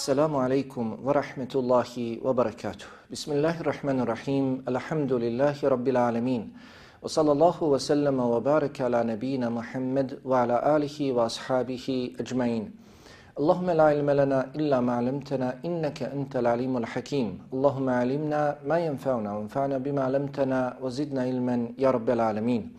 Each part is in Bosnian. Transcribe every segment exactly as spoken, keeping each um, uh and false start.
Assalamu alaikum wa rahmetullahi wa barakatuh. Bismillahirrahmanirrahim. Alhamdulillahi rabbil alamin. Wa sallallahu wa sallama wa baraka ala nabina Muhammad wa ala alihi wa ashabihi ajma'in. Allahumma la ilma lana illa ma 'allamtana innaka antal alimul hakim. Allahumma 'allimna ma yanfa'una wanfa'na bima 'allamtana wa zidna ilman ya rabbil alamin.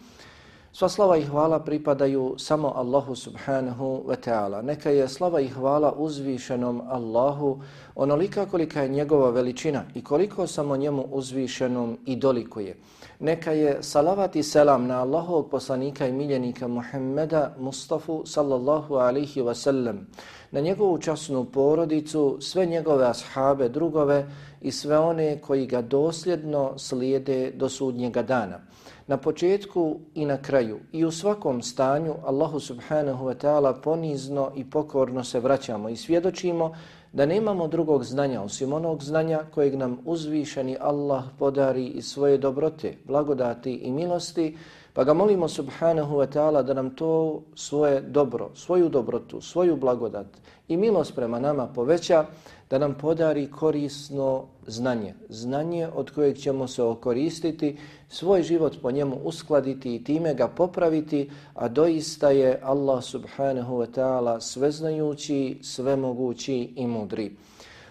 Sva slava i hvala pripadaju samo Allahu subhanahu wa ta'ala. Neka je slava i hvala uzvišenom Allahu onolika kolika je njegova veličina i koliko samo njemu uzvišenom i dolikuje. Neka je salavat i selam na Allahovog poslanika i miljenika Muhammeda Mustafa sallallahu alaihi wa sallam, na njegovu časnu porodicu, sve njegove ashabe, drugove i sve one koji ga dosljedno slijede do sudnjega dana. Na početku i na kraju i u svakom stanju Allahu subhanahu wa ta'ala ponizno i pokorno se vraćamo i svjedočimo da nemamo drugog znanja osim onog znanja kojeg nam uzvišeni Allah podari iz svoje dobrote, blagodati i milosti, pa ga molimo subhanahu wa ta'ala da nam to svoje dobro, svoju dobrotu, svoju blagodat i milost prema nama poveća, da nam podari korisno znanje, znanje od kojeg ćemo se okoristiti, svoj život po njemu uskladiti i time ga popraviti, a doista je Allah subhanahu wa ta'ala sveznajući, svemogući i mudri.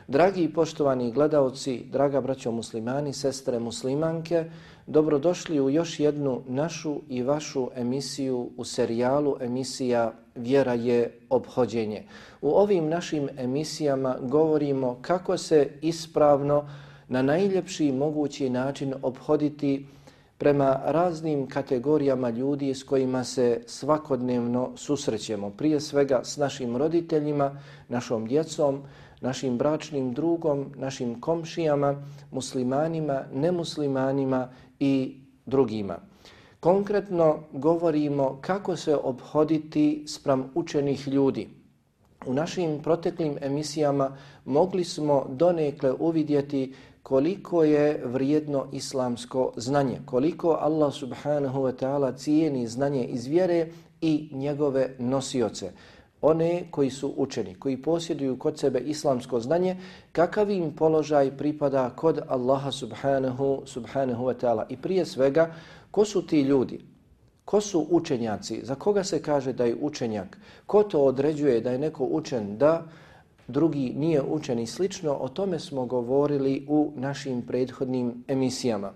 Dragi i poštovani gledaoci, draga braćo muslimani, sestre muslimanke, dobrodošli u još jednu našu i vašu emisiju u serijalu emisija Vjera je ophođenje. U ovim našim emisijama govorimo kako se ispravno na najljepši mogući način ophoditi prema raznim kategorijama ljudi s kojima se svakodnevno susrećemo. Prije svega s našim roditeljima, našom djecom, našim bračnim drugom, našim komšijama, muslimanima, nemuslimanima i drugima. Konkretno govorimo kako se ophoditi spram učenih ljudi. U našim proteklim emisijama mogli smo donekle uvidjeti koliko je vrijedno islamsko znanje, koliko Allah subhanahu wa ta'ala cijeni znanje iz vjere i njegove nosioce. One koji su učeni, koji posjeduju kod sebe islamsko znanje, kakav im položaj pripada kod Allaha subhanahu, subhanahu wa ta'ala. I prije svega, ko su ti ljudi? Ko su učenjaci? Za koga se kaže da je učenjak? Ko to određuje da je neko učen, da drugi nije učen i slično? O tome smo govorili u našim prethodnim emisijama.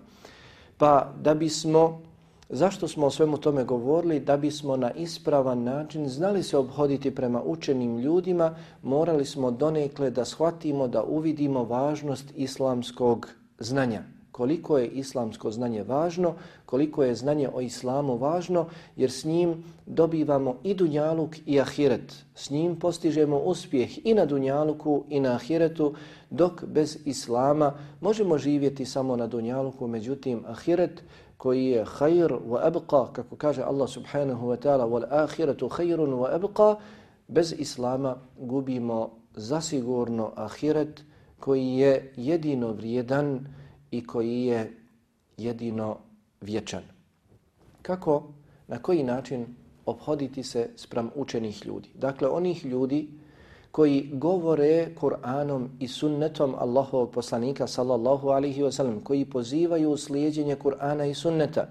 Pa da bismo, zašto smo o svemu tome govorili? Da bismo na ispravan način znali se ophoditi prema učenim ljudima, morali smo donekle da shvatimo, da uvidimo važnost islamskog znanja. Koliko je islamsko znanje važno, koliko je znanje o islamu važno, jer s njim dobivamo i dunjaluk i ahiret. S njim postižemo uspjeh i na dunjaluku i na ahiretu, dok bez islama možemo živjeti samo na dunjaluku, međutim ahiret koji je khair wa abqa, kako kaže Allah subhanahu wa ta'ala, wal ahiretu khairun wa abqa, bez islama gubimo zasigurno ahiret koji je jedino vrijedan i koji je jedino vječan. Kako, na koji način ophoditi se spram učenih ljudi? Dakle, onih ljudi koji govore Kur'anom i sunnetom Allahovog poslanika sallallahu alaihi wa sallam, koji pozivaju slijedjenje Kur'ana i sunneta,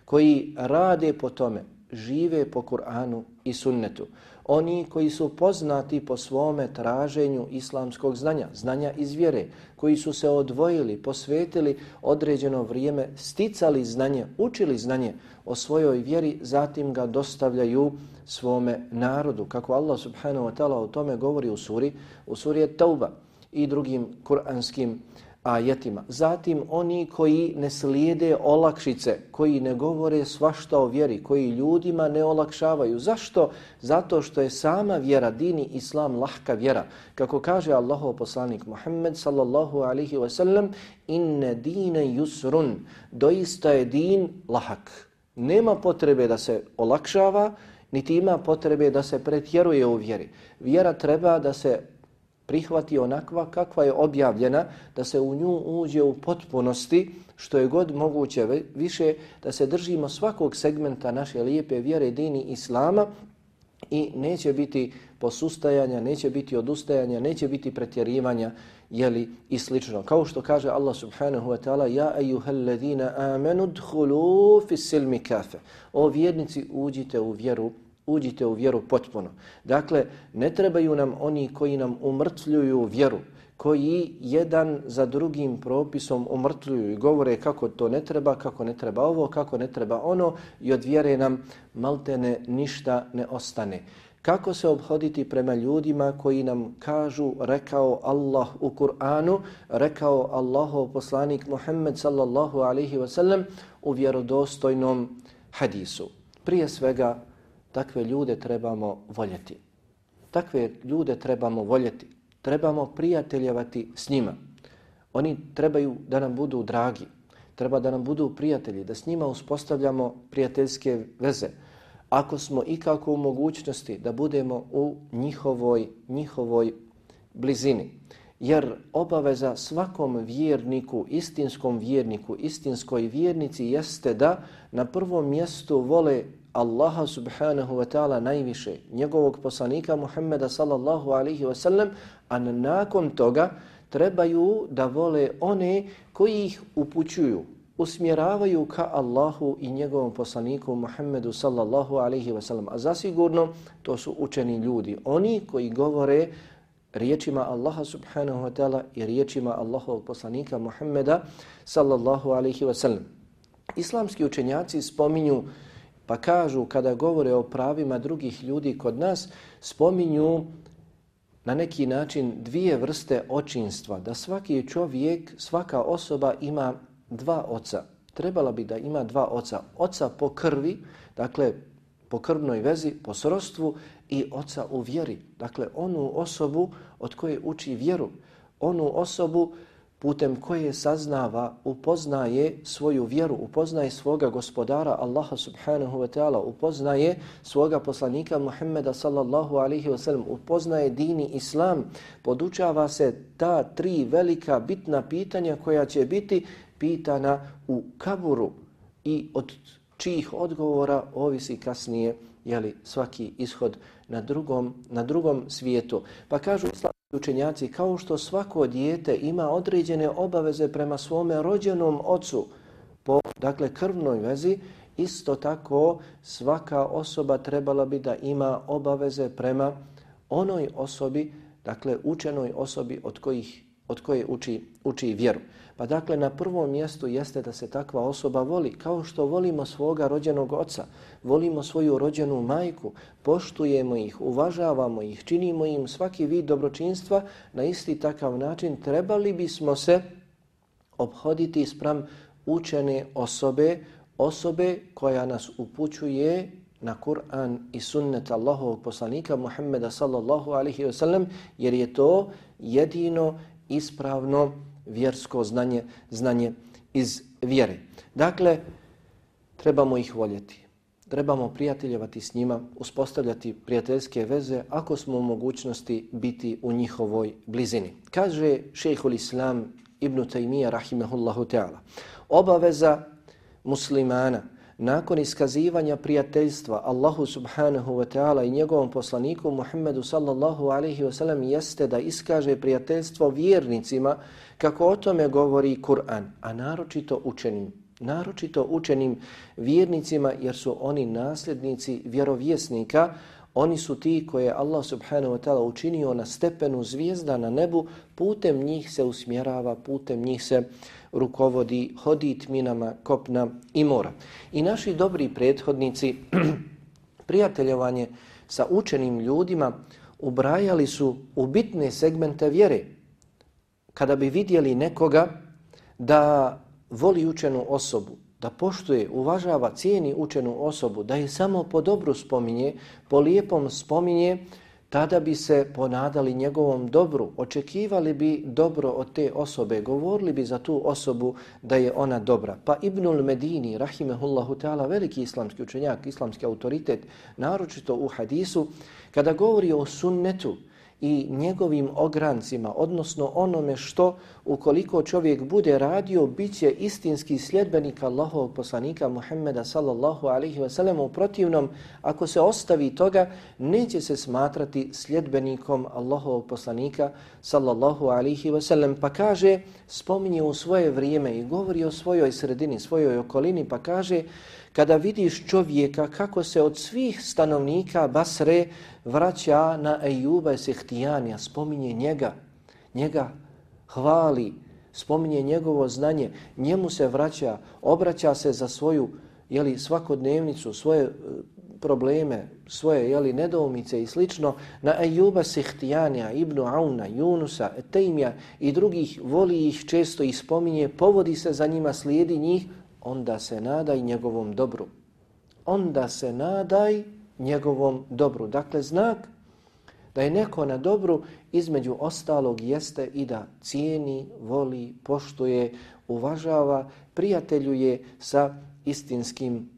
koji rade po tome, žive po Kur'anu i sunnetu. Oni koji su poznati po svome traženju islamskog znanja, znanja iz vjere, koji su se odvojili, posvetili određeno vrijeme, sticali znanje, učili znanje o svojoj vjeri, zatim ga dostavljaju svome narodu. Kako Allah subhanahu wa ta'ala o tome govori u suri, u suri At-Tauba i drugim kuranskim ajetima. Zatim oni koji ne slijede olakšice, koji ne govore svašta o vjeri, koji ljudima ne olakšavaju. Zašto? Zato što je sama vjera, dini islam, lahka vjera. Kako kaže Allahov poslanik Muhammed sallallahu alaihi wa sallam, inne dine yusrun, doista je din lahak. Nema potrebe da se olakšava, niti ima potrebe da se pretjeruje u vjeri. Vjera treba da se prihvati onakva kakva je objavljena, da se u nju uđe u potpunosti, što je god moguće više, da se držimo svakog segmenta naše lijepe vjere, dini islama i neće biti posustajanja, neće biti odustajanja, neće biti pretjerivanja, jeli, i slično. Kao što kaže Allah subhanahu wa ta'ala: Ja ejuhallazina amanu dkhulu fis silmi kafe. O vjernici, uđite u vjeru, uđite u vjeru potpuno. Dakle, ne trebaju nam oni koji nam umrtvljuju vjeru, koji jedan za drugim propisom umrtvljuju i govore kako to ne treba, kako ne treba ovo, kako ne treba ono, i od vjere nam maltene ništa ne ostane. Kako se obhoditi prema ljudima koji nam kažu rekao Allah u Kur'anu, rekao Allahov poslanik Muhammed sallallahu alaihi wa sallam u vjerodostojnom hadisu. Prije svega, takve ljude trebamo voljeti. Takve ljude trebamo voljeti. Trebamo prijateljevati s njima. Oni trebaju da nam budu dragi. Treba da nam budu prijatelji, da s njima uspostavljamo prijateljske veze. Ako smo ikako u mogućnosti da budemo u njihovoj, njihovoj blizini. Jer obaveza svakom vjerniku, istinskom vjerniku, istinskoj vjernici jeste da na prvom mjestu vole Allaha subhanahu wa ta'ala najviše, njegovog poslanika Muhammeda sallallahu alaihi wa sallam, a nakon toga trebaju da vole one koji ih upućuju, usmjeravaju ka Allahu i njegovom poslaniku Muhammedu sallallahu alaihi wa sallam. A zasigurno to su učeni ljudi, oni koji govore riječima Allaha subhanahu wa ta'ala i riječima Allahovog poslanika Muhammeda sallallahu alaihi wa sallam. Islamski učenjaci spominju, pa kažu kada govore o pravima drugih ljudi kod nas, spominju na neki način dvije vrste očinstva. Da svaki čovjek, svaka osoba ima dva oca. Trebala bi da ima dva oca. Oca po krvi, dakle po krvnoj vezi, po srodstvu, i oca u vjeri. Dakle onu osobu od koje uči vjeru. Onu osobu putem koje saznava, upoznaje svoju vjeru, upoznaje svoga gospodara Allaha subhanahu wa ta'ala, upoznaje svoga poslanika Muhammeda sallallahu alaihi wa sallam, upoznaje dini Islam, podučava se ta tri velika bitna pitanja koja će biti pitana u kaburu i od čijih odgovora ovisi kasnije, jeli, svaki ishod na drugom, na drugom svijetu. Pa kažu islamski učenjaci, kao što svako dijete ima određene obaveze prema svome rođenom ocu po, dakle, krvnoj vezi, isto tako svaka osoba trebala bi da ima obaveze prema onoj osobi, dakle učenoj osobi od kojih od koje uči, uči vjeru. Pa dakle na prvom mjestu jeste da se takva osoba voli, kao što volimo svoga rođenog oca, volimo svoju rođenu majku, poštujemo ih, uvažavamo ih, činimo im svaki vid dobročinstva, na isti takav način trebali bismo se obhoditi spram učene osobe, osobe koja nas upućuje na Kur'an i sunnet Allahovog poslanika Muhammeda sallallahu alaihi wa sallam, jer je to jedino ispravno vjersko znanje, znanje iz vjere. Dakle, trebamo ih voljeti. Trebamo prijateljevati s njima, uspostavljati prijateljske veze ako smo u mogućnosti biti u njihovoj blizini. Kaže šejhul Islam Ibn Taymija rahimehullahu ta'ala, obaveza muslimana nakon iskazivanja prijateljstva Allahu subhanahu wa ta'ala i njegovom poslaniku Muhammedu sallallahu alaihi wa sallam jeste da iskaže prijateljstvo vjernicima kako o tome govori Kur'an, a naročito učenim, naročito učenim vjernicima, jer su oni nasljednici vjerovjesnika. Oni su ti koje Allah subhanahu wa ta'ala učinio na stepenu zvijezda na nebu, putem njih se usmjerava, putem njih se rukovodi, hodi tminama kopna i mora. I naši dobri prethodnici prijateljovanje sa učenim ljudima ubrajali su u bitne segmente vjere. Kada bi vidjeli nekoga da voli učenu osobu, da poštuje, uvažava, cijeni učenu osobu, da je samo po dobru spominje, po lijepom spominje, tada bi se ponadali njegovom dobru, očekivali bi dobro od te osobe, govorili bi za tu osobu da je ona dobra. Pa Ibnul Medini, rahimehullahu ta'ala, veliki islamski učenjak, islamski autoritet, naročito u hadisu, kada govori o sunnetu i njegovim ograncima, odnosno onome što ukoliko čovjek bude radio, bit će istinski sljedbenik Allahovog poslanika Muhammeda sallallahu alaihi wa sallam. U protivnom, ako se ostavi toga, neće se smatrati sljedbenikom Allahovog poslanika sallallahu alaihi wa sallam. Pa kaže, spominje u svoje vrijeme i govori o svojoj sredini, svojoj okolini, pa kaže, kada vidiš čovjeka kako se od svih stanovnika Basre vraća na Ejuba Sehtijanija, spominje njega, njega hvali, spominje njegovo znanje, njemu se vraća, obraća se za svoju jeli, svakodnevnicu, svoje probleme, svoje jeli, nedoumice i slično, na Ejuba Sehtijanija, Ibnu Auna, Junusa, Etejmija i drugih, voli ih, često ih spominje, povodi se za njima, slijedi njih, onda se nadaj njegovom dobru. Onda se nadaj njegovom dobru. Dakle, znak da je neko na dobru, između ostalog jeste i da cijeni, voli, poštuje, uvažava, prijateljuje sa istinskim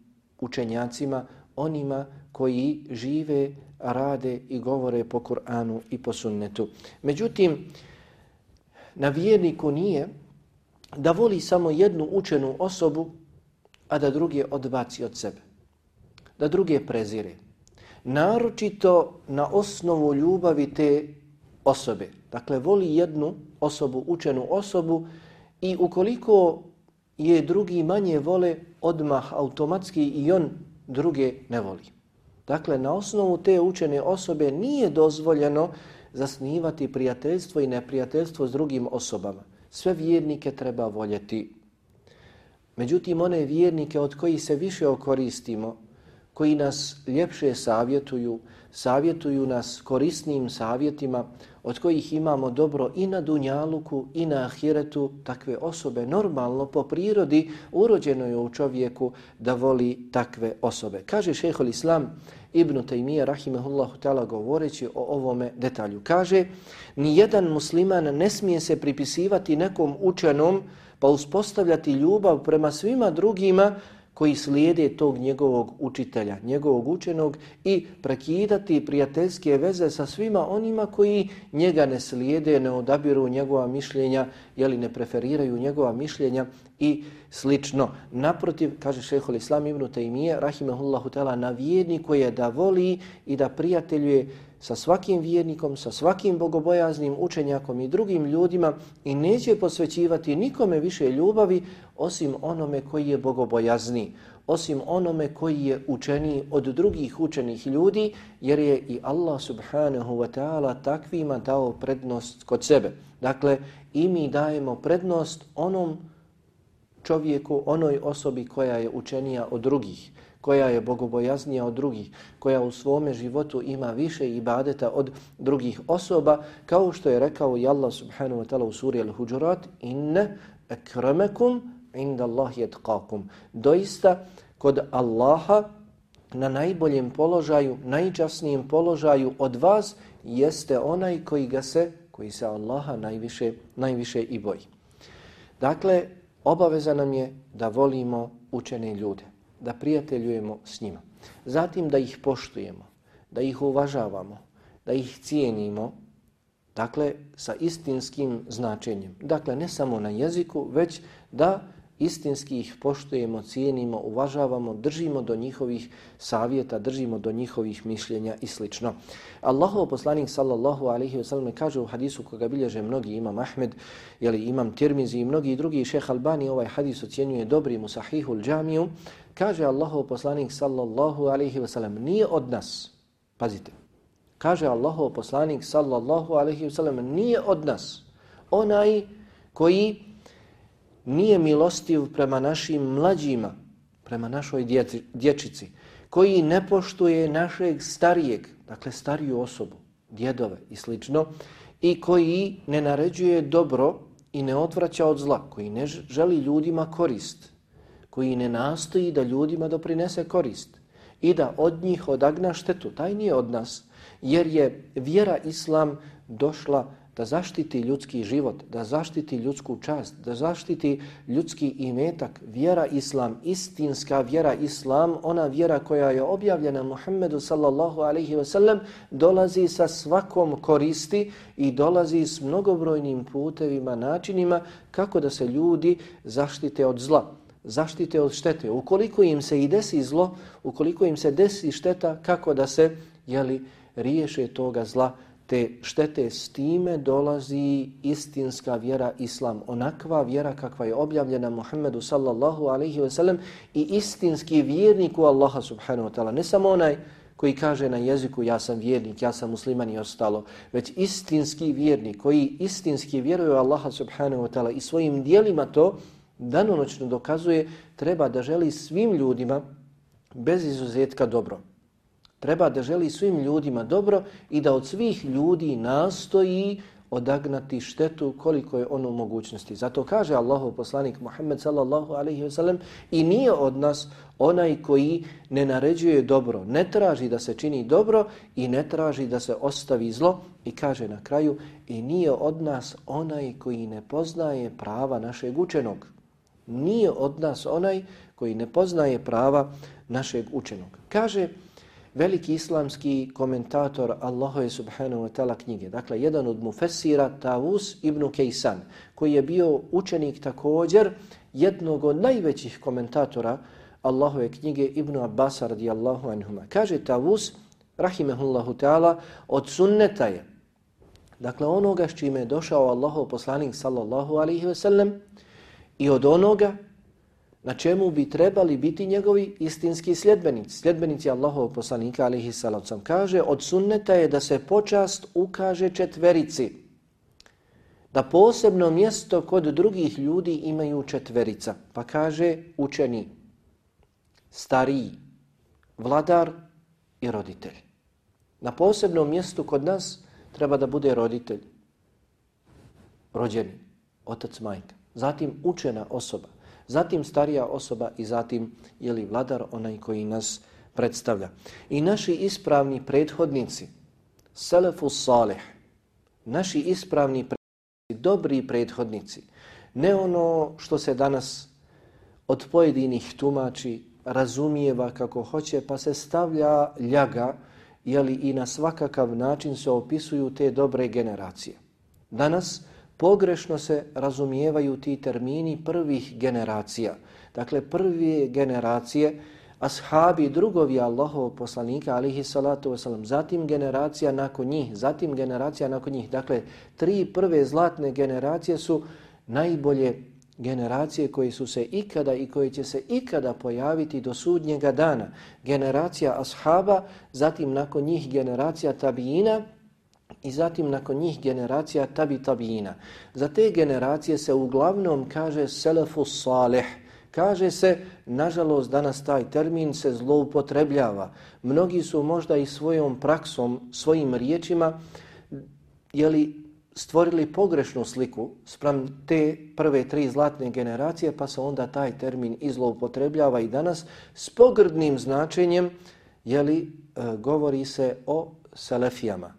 učenjacima, onima koji žive, rade i govore po Kur'anu i po sunnetu. Međutim, na vjerniku nije da voli samo jednu učenu osobu, a da druge odbaci od sebe, da druge prezire. Naročito na osnovu ljubavi te osobe. Dakle, voli jednu osobu, učenu osobu i ukoliko je drugi manje vole, odmah automatski i on druge ne voli. Dakle, na osnovu te učene osobe nije dozvoljeno zasnivati prijateljstvo i neprijateljstvo s drugim osobama. Sve vjernike treba voljeti. Međutim, one vjernike od kojih se više okoristimo, koji nas ljepše savjetuju, savjetuju nas korisnim savjetima, od kojih imamo dobro i na dunjaluku i na ahiretu, takve osobe normalno po prirodi urođeno je u čovjeku da voli takve osobe. Kaže šejhul Islam Ibn Tejmije rahimehullahu ta'ala govoreći o ovome detalju. Kaže, nijedan musliman ne smije se pripisivati nekom učenom pa uspostavljati ljubav prema svima drugima koji slijede tog njegovog učitelja, njegovog učenog i prekidati prijateljske veze sa svima onima koji njega ne slijede, ne odabiru njegova mišljenja, jeli ne preferiraju njegova mišljenja i slično. Naprotiv, kaže šejhul Islam Ibn Tejmije, rahimehullahu ta'ala, na vjerniku je da voli i da prijateljuje sa svakim vjernikom, sa svakim bogobojaznim učenjakom i drugim ljudima i neće posvećivati nikome više ljubavi osim onome koji je bogobojazni, osim onome koji je učeniji od drugih učenih ljudi, jer je i Allah subhanahu wa ta'ala takvima dao prednost kod sebe. Dakle, i mi dajemo prednost onom čovjeku, onoj osobi koja je učenija od drugih, koja je bogobojaznija od drugih, koja u svome životu ima više ibadeta od drugih osoba, kao što je rekao i Allah subhanahu wa ta'ala u suri Al-Huđurat, inne akramakum inda Allahi atqakum. Doista, kod Allaha na najboljem položaju, najčasnijem položaju od vas jeste onaj koji ga se, koji se Allaha najviše, najviše i boji. Dakle, obaveza nam je da volimo učene ljude, da prijateljujemo s njima. Zatim da ih poštujemo, da ih uvažavamo, da ih cijenimo, dakle sa istinskim značenjem. Dakle, ne samo na jeziku, već da istinski ih poštujemo, cijenimo, uvažavamo, držimo do njihovih savjeta, držimo do njihovih mišljenja i sl. Allahov poslanik sallallahu alaihi wa sallam kaže u hadisu koga bilježe mnogi, imam Ahmed, jeli imam Tirmizi i mnogi drugi, šejh Albani ovaj hadis ocjenjuje dobrim u Sahihul Džamiju, kaže Allahov poslanik sallallahu alaihi wa sallam, nije od nas, pazite, kaže Allahov poslanik sallallahu alaihi wa sallam, nije od nas onaj koji nije milostiv prema našim mlađima, prema našoj djeci, dječici, koji ne poštuje našeg starijeg, dakle stariju osobu, djedove i slično, i koji ne naređuje dobro i ne odvraća od zla, koji ne želi ljudima korist, koji ne nastoji da ljudima doprinese korist i da od njih odagna štetu, taj nije od nas, jer je vjera Islam došla da zaštiti ljudski život, da zaštiti ljudsku čast, da zaštiti ljudski imetak. Vjera Islam, istinska vjera Islam, ona vjera koja je objavljena Muhammedu sallallahu alaihi wasallam, dolazi sa svakom koristi i dolazi s mnogobrojnim putevima, načinima kako da se ljudi zaštite od zla, zaštite od štete. Ukoliko im se i desi zlo, ukoliko im se desi šteta, kako da se jeli, riješe toga zla, te štete. S time dolazi istinska vjera Islam, onakva vjera kakva je objavljena Muhammedu sallallahu alaihi wasallam i istinski vjernik u Allaha subhanahu wa ta'ala. Ne samo onaj koji kaže na jeziku ja sam vjernik, ja sam musliman i ostalo, već istinski vjernik koji istinski vjeruje u Allaha subhanahu wa ta'ala i svojim dijelima to danonoćno dokazuje, treba da želi svim ljudima bez izuzetka dobro. Treba da želi svim ljudima dobro i da od svih ljudi nastoji odagnati štetu koliko je ono mogućnosti. Zato kaže Allahov poslanik Muhammed sallallahu alaihi wa sallam, i nije od nas onaj koji ne naređuje dobro, ne traži da se čini dobro i ne traži da se ostavi zlo, i kaže na kraju, i nije od nas onaj koji ne poznaje prava našeg učenog. Nije od nas onaj koji ne poznaje prava našeg učenog. Kaže veliki islamski komentator Allahove subhanahu wa ta'ala knjige, dakle jedan od mufessira, Tavus ibn Kaysan, koji je bio učenik također jednog od najvećih komentatora Allahove knjige Ibn Abbasa radijallahu anhuma. Kaže Tavus, rahimehullahu ta'ala, od sunneta je, dakle onoga s čime je došao Allahov poslanik sallallahu alaihi ve sellem, i od onoga na čemu bi trebali biti njegovi istinski sljedbenici, sljedbenici Allahovog poslanika alejhi salatu vesselam. Kaže, od sunneta je da se počast ukaže četverici, da posebno mjesto kod drugih ljudi imaju četverica. Pa kaže učeni, stariji, vladar i roditelj. Na posebnom mjestu kod nas treba da bude roditelj, rođeni, otac, majka, zatim učena osoba, zatim starija osoba i zatim je li vladar, onaj koji nas predstavlja. I naši ispravni prethodnici, selefus salih, naši ispravni prethodnici, dobri prethodnici, ne ono što se danas od pojedinih tumači razumijeva kako hoće, pa se stavlja ljaga, jeli, i na svakakav način se opisuju te dobre generacije. Danas pogrešno se razumijevaju ti termini prvih generacija. Dakle, prve generacije, ashabi, drugovi Allahovog poslanika, alihi salatu wasalam, zatim generacija nakon njih, zatim generacija nakon njih. Dakle, tri prve zlatne generacije su najbolje generacije koje su se ikada i koje će se ikada pojaviti do sudnjega dana. Generacija ashaba, zatim nakon njih generacija tabiina, i zatim nakon njih generacija tabi tabiina. Za te generacije se uglavnom kaže selefus salih. Kaže se, nažalost danas taj termin se zloupotrebljava. Mnogi su možda i svojom praksom, svojim riječima, jeli, stvorili pogrešnu sliku spram te prve tri zlatne generacije, pa se onda taj termin izloupotrebljava i danas s pogrdnim značenjem, jeli, govori se o selefijama.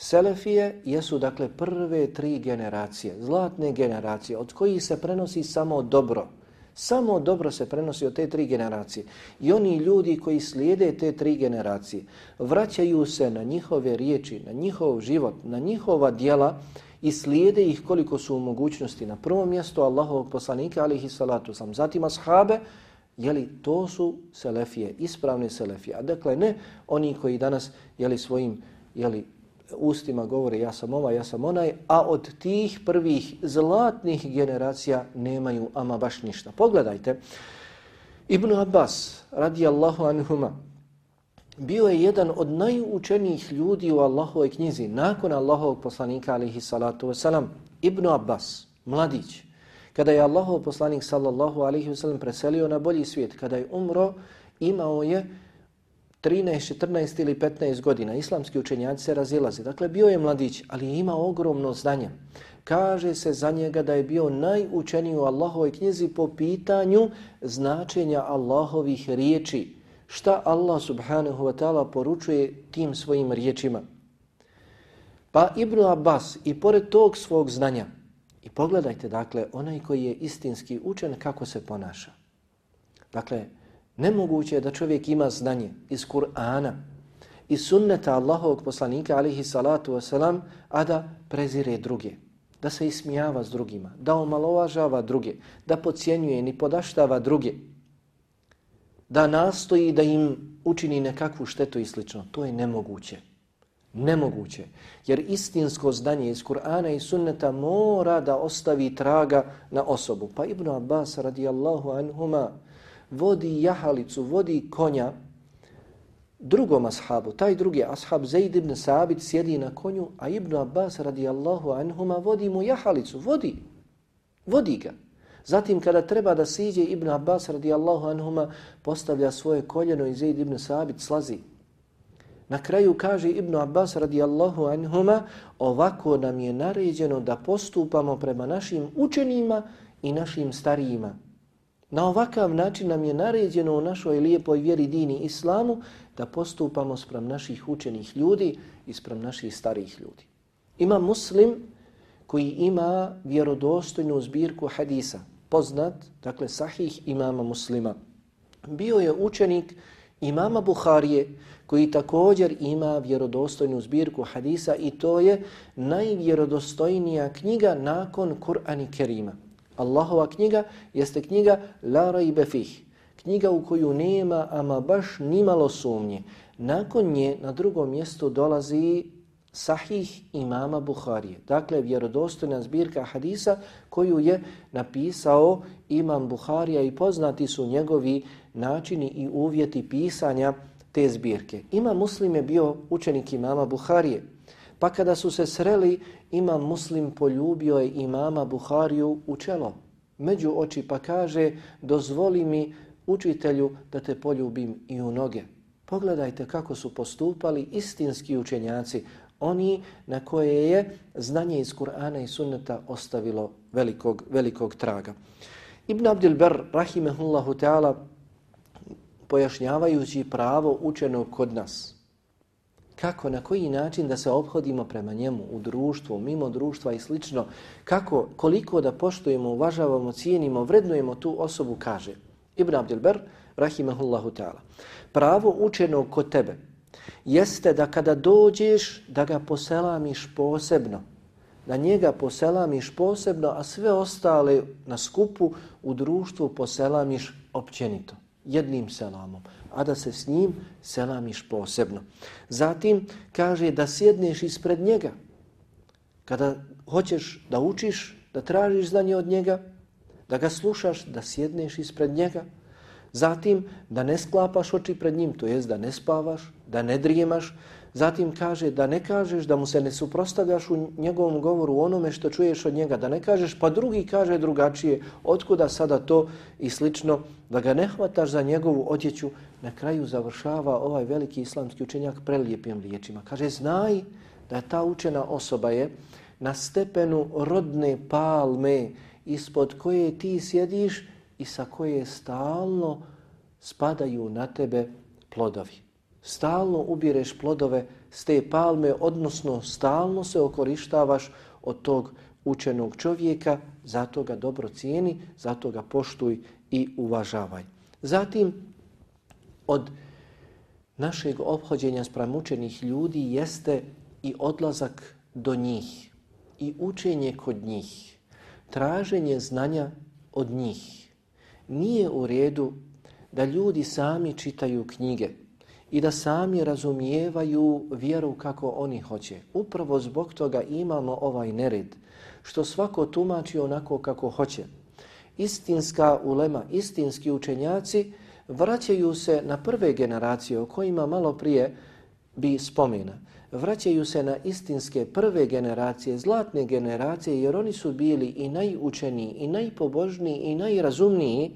Selefije jesu dakle prve tri generacije, zlatne generacije, od kojih se prenosi samo dobro. Samo dobro se prenosi od te tri generacije. I oni ljudi koji slijede te tri generacije, vraćaju se na njihove riječi, na njihov život, na njihova djela i slijede ih koliko su u mogućnosti. Na prvom mjestu Allahovog poslanika, alihi salatu sam, zatim ashabe, jeli, to su selefije, ispravne selefije. A dakle ne oni koji danas, jeli, svojim, jeli, ustima govore ja sam ovaj, ja sam onaj, a od tih prvih zlatnih generacija nemaju ama baš ništa. Pogledajte, Ibn Abbas radijallahu anhuma bio je jedan od najučenijih ljudi u Allahovoj knjizi nakon Allahovog poslanika alejhi salatu wasalam. Ibn Abbas, mladić, kada je Allahov poslanik sallallahu alejhi wasallam preselio na bolji svijet, kada je umro, imao je trinaest, četrnaest ili petnaest godina. Islamski učenjaci se razilaze. Dakle, bio je mladić, ali je imao ogromno znanje. Kaže se za njega da je bio najučeniji u Allahovoj knjizi po pitanju značenja Allahovih riječi. Šta Allah subhanahu wa ta'ala poručuje tim svojim riječima? Pa Ibn Abbas i pored tog svog znanja, i pogledajte dakle onaj koji je istinski učen kako se ponaša. Dakle, nemoguće je da čovjek ima znanje iz Kur'ana, iz sunneta Allahovog poslanika alihi salatu wasalam, a da prezire druge, da se ismijava s drugima, da omalovažava druge, da podcjenjuje ni podaštava druge, da nastoji da im učini nekakvu štetu i slično. To je nemoguće. Nemoguće. Jer istinsko znanje iz Kur'ana i sunneta mora da ostavi traga na osobu. Pa Ibn Abbas radijallahu anhuma vodi jahalicu, vodi konja drugom ashabu. Taj drugi ashab Zaid ibn Sabit sjedi na konju, a Ibn Abbas radijallahu anhuma vodi mu jahalicu. Vodi. Vodi ga. Zatim kada treba da siđe, Ibn Abbas radijallahu anhuma postavlja svoje koljeno i Zaid ibn Sabit slazi. Na kraju kaže Ibn Abbas radijallahu anhuma, ovako nam je naređeno da postupamo prema našim učenima i našim starijima. Na ovakav način nam je naređeno u našoj lijepoj vjeri dini islamu da postupamo sprem naših učenih ljudi i sprem naših starijih ljudi. Ima Muslim koji ima vjerodostojnu zbirku hadisa, poznat, dakle sahih imama Muslima. Bio je učenik imama Buharije koji također ima vjerodostojnu zbirku hadisa i to je najvjerodostojnija knjiga nakon Kur'ana Kerima. Allahova knjiga jeste knjiga La rajbe fih, knjiga u koju nema ama baš nimalo sumnje. Nakon nje na drugom mjestu dolazi Sahih imama Buharije. Dakle, vjerodostojna zbirka hadisa koju je napisao imam Buharija i poznati su njegovi načini i uvjeti pisanja te zbirke. Imam Muslim je bio učenik imama Buharije. Pa kada su se sreli, imam Muslim poljubio je imama Buhariju u čelo, među oči, pa kaže, dozvoli mi učitelju da te poljubim i u noge. Pogledajte kako su postupali istinski učenjaci, oni na koje je znanje iz Kur'ana i sunneta ostavilo velikog, velikog traga. Ibn Abdil Bar, rahimehullahu ta'ala, pojašnjavajući pravo učenog kod nas, kako, na koji način da se ophodimo prema njemu u društvu, mimo društva i slično, kako, koliko da poštujemo, uvažavamo, cijenimo, vrednujemo tu osobu, kaže Ibn Abdil Bar, rahimehullahu ta'ala, pravo učenog kod tebe jeste da kada dođeš da ga poselamiš posebno, da njega poselamiš posebno, a sve ostale na skupu u društvu poselamiš općenito, jednim selamom, a da se s njim selamiš posebno. Zatim kaže da sjedneš ispred njega. Kada hoćeš da učiš, da tražiš znanje od njega, da ga slušaš, da sjedneš ispred njega. Zatim da ne sklapaš oči pred njim, to jest da ne spavaš, da ne drijemaš. Zatim kaže da ne kažeš, da mu se ne suprotstavljaš u njegovom govoru onome što čuješ od njega, da ne kažeš pa drugi kaže drugačije, otkuda sada to i slično, da ga ne hvataš za njegovu odjeću. Na kraju završava ovaj veliki islamski učenjak prelijepim riječima. Kaže, znaj da ta učena osoba je na stepenu rodne palme ispod koje ti sjediš i sa koje stalno spadaju na tebe plodovi. Stalno ubireš plodove s te palme, odnosno stalno se okorištavaš od tog učenog čovjeka, zato ga dobro cijeni, zato ga poštuj i uvažavaj. Zatim, od našeg ophođenja spram učenih ljudi jeste i odlazak do njih i učenje kod njih, traženje znanja od njih. Nije u redu da ljudi sami čitaju knjige i da sami razumijevaju vjeru kako oni hoće. Upravo zbog toga imamo ovaj nered, što svako tumači onako kako hoće. Istinska ulema, istinski učenjaci vraćaju se na prve generacije o kojima malo prije bi spomena. Vraćaju se na istinske prve generacije, zlatne generacije, jer oni su bili i najučeniji, i najpobožniji, i najrazumniji.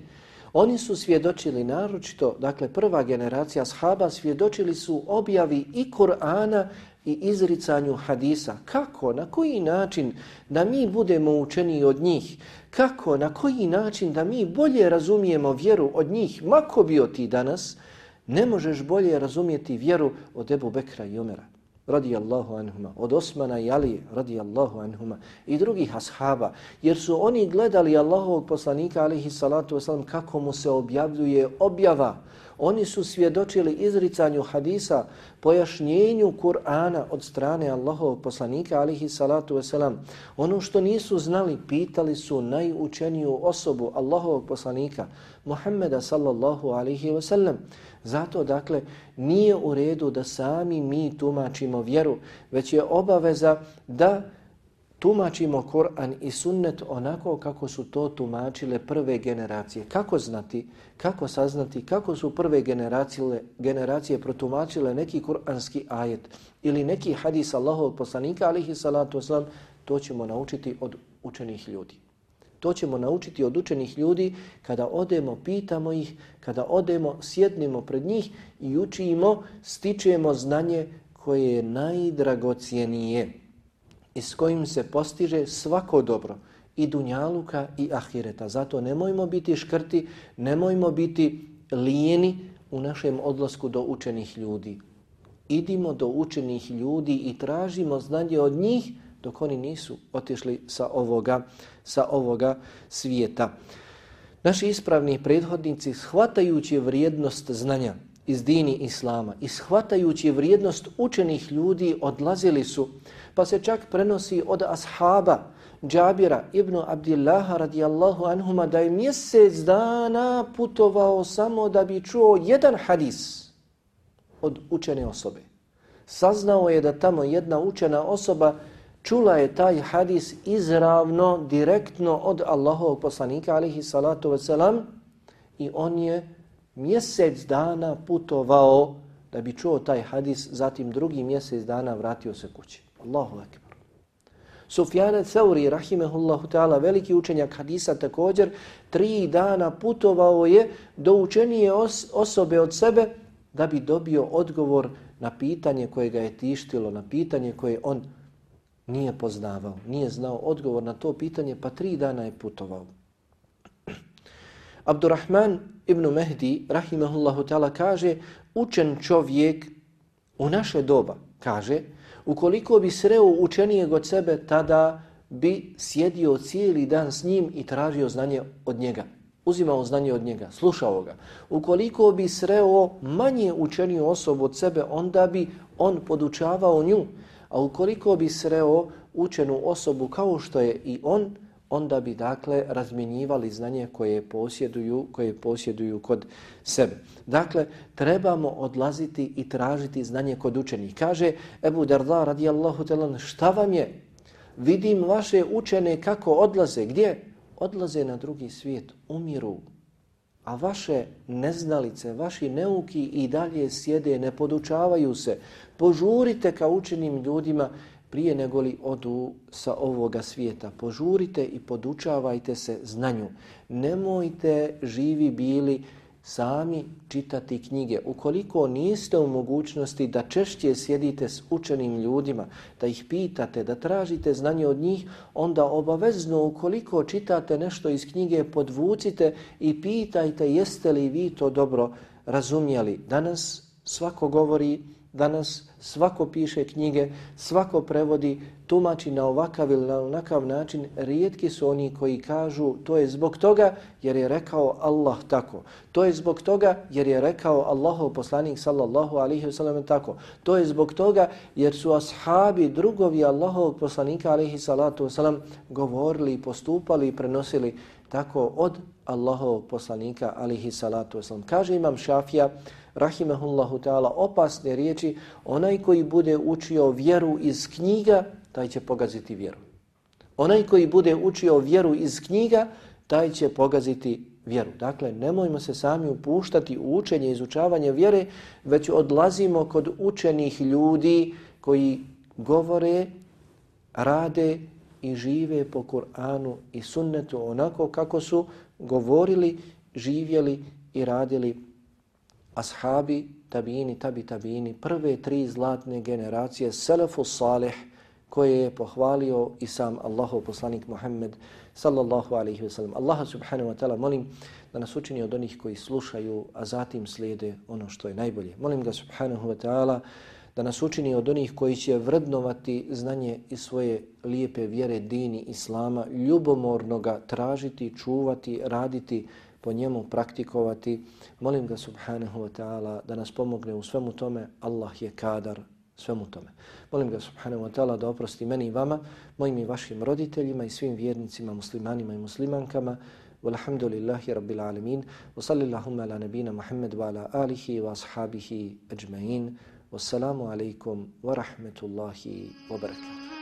Oni su svjedočili naročito, dakle prva generacija ashaba svjedočili su objavi i Kur'ana i izricanju hadisa. Kako, na koji način da mi budemo učeniji od njih? Kako, na koji način da mi bolje razumijemo vjeru od njih? Mako bio ti danas, ne možeš bolje razumijeti vjeru od Ebu Bekra i Omera. radijallahu anhuma, od Osmana i Alije radijallahu anhuma i drugih ashaba, jer su oni gledali Allahovog poslanika alejhi salatu vesselam kako mu se objavljuje objava. Oni su svjedočili izricanju hadisa, pojašnjenju Kur'ana od strane Allahovog poslanika alejhi salatu vesselam. Ono što nisu znali, pitali su najučeniju osobu Allahovog poslanika Muhammeda sallallahu alejhi ve sellem. Zato, dakle, nije u redu da sami mi tumačimo vjeru, već je obaveza da tumačimo Kur'an i sunnet onako kako su to tumačile prve generacije. Kako znati, kako saznati, kako su prve generacije, generacije protumačile neki kur'anski ajet ili neki hadis Allahovog poslanika, alejhi salatu vesselam, to ćemo naučiti od učenih ljudi. To ćemo naučiti od učenih ljudi kada odemo, pitamo ih, kada odemo, sjednimo pred njih i učimo, stičemo znanje koje je najdragocijenije i s kojim se postiže svako dobro i dunjaluka i ahireta. Zato nemojmo biti škrti, nemojmo biti lijeni u našem odlasku do učenih ljudi. Idimo do učenih ljudi i tražimo znanje od njih dok oni nisu otišli sa ovoga, sa ovoga svijeta. Naši ispravni prethodnici, shvatajući vrijednost znanja iz dini Islama i shvatajući vrijednost učenih ljudi, odlazili su, pa se čak prenosi od ashaba Džabira ibn Abdillaha radijallahu anhuma da je mjesec dana putovao samo da bi čuo jedan hadis od učene osobe. Saznao je da tamo jedna učena osoba čula je taj hadis izravno, direktno od Allahovog poslanika alejhi salatu vesselam i on je mjesec dana putovao da bi čuo taj hadis, zatim drugi mjesec dana vratio se kući. Allahu ekber. Sufjan al-Thauri rahimehullahu ta'ala, veliki učenjak hadisa, također tri dana putovao je do učenije os- osobe od sebe da bi dobio odgovor na pitanje koje ga je tištilo, na pitanje koje on nije poznavao, nije znao odgovor na to pitanje, pa tri dana je putovao. Abdurrahman ibn Mehdi rahimehullahu ta'ala kaže, učen čovjek u naše doba, kaže, ukoliko bi sreo učenijeg od sebe, tada bi sjedio cijeli dan s njim i tražio znanje od njega. Uzimao znanje od njega, slušao ga. Ukoliko bi sreo manje učeniju osobu od sebe, onda bi on podučavao nju. A ukoliko bi sreo učenu osobu kao što je i on, onda bi, dakle, razmjenjivali znanje koje posjeduju, koje posjeduju kod sebe. Dakle, trebamo odlaziti i tražiti znanje kod učenih. Kaže Ebu Darda radijallahu ta'ala, šta vam je? Vidim vaše učene kako odlaze. Gdje? Odlaze na drugi svijet, umiru. A vaše neznalice, vaši neuki i dalje sjede, ne podučavaju se. Požurite ka učenim ljudima prije nego li odu sa ovoga svijeta. Požurite i podučavajte se znanju. Nemojte živi bili sami čitati knjige. Ukoliko niste u mogućnosti da češće sjedite s učenim ljudima, da ih pitate, da tražite znanje od njih, onda obavezno ukoliko čitate nešto iz knjige, podvucite i pitajte jeste li vi to dobro razumjeli. Danas svako govori, danas svako piše knjige, svako prevodi, tumači na ovakav ili na onakav način. Rijetki su oni koji kažu to je zbog toga jer je rekao Allah tako. To je zbog toga jer je rekao Allahov poslanik sallallahu alejhi ve sellem tako. To je zbog toga jer su ashabi, drugovi Allahovog poslanika alejhi salatu vesselam govorili, postupali i prenosili tako od Allahovog poslanika alejhi salatu vesselam. Kaže Imam Šafija rahimehullahu ta'ala, opasne riječi, onaj koji bude učio vjeru iz knjiga, taj će pogaziti vjeru. Onaj koji bude učio vjeru iz knjiga, taj će pogaziti vjeru. Dakle, nemojmo se sami upuštati u učenje i izučavanje vjere, već odlazimo kod učenih ljudi koji govore, rade i žive po Kur'anu i sunnetu onako kako su govorili, živjeli i radili ashabi, tabini, tabi tabini, prve tri zlatne generacije, selefu salih, koje je pohvalio i sam Allahov poslanik Muhammed sallallahu alaihi wa sallam. Allaha subhanahu wa ta'ala molim da nas učini od onih koji slušaju, a zatim slijede ono što je najbolje. Molim ga subhanahu wa ta'ala da nas učini od onih koji će vrednovati znanje i svoje lijepe vjere dini Islama, ljubomorno ga tražiti, čuvati, raditi po njemu, praktikovati. Molim ga subhanahu wa ta'ala da nas pomogne u svemu tome. Allah je kadar svemu tome. Molim ga subhanahu wa ta'ala da oprosti meni i vama, mojim i vašim roditeljima i svim vjernicima, muslimanima i muslimankama. Walhamdulillahi rabbil alamin. Wa sallallahu ala nabina Muhammad wa ala alihi wa ashabihi ajma'in. Wassalamu alaikum wa rahmetullahi wa barakatuh.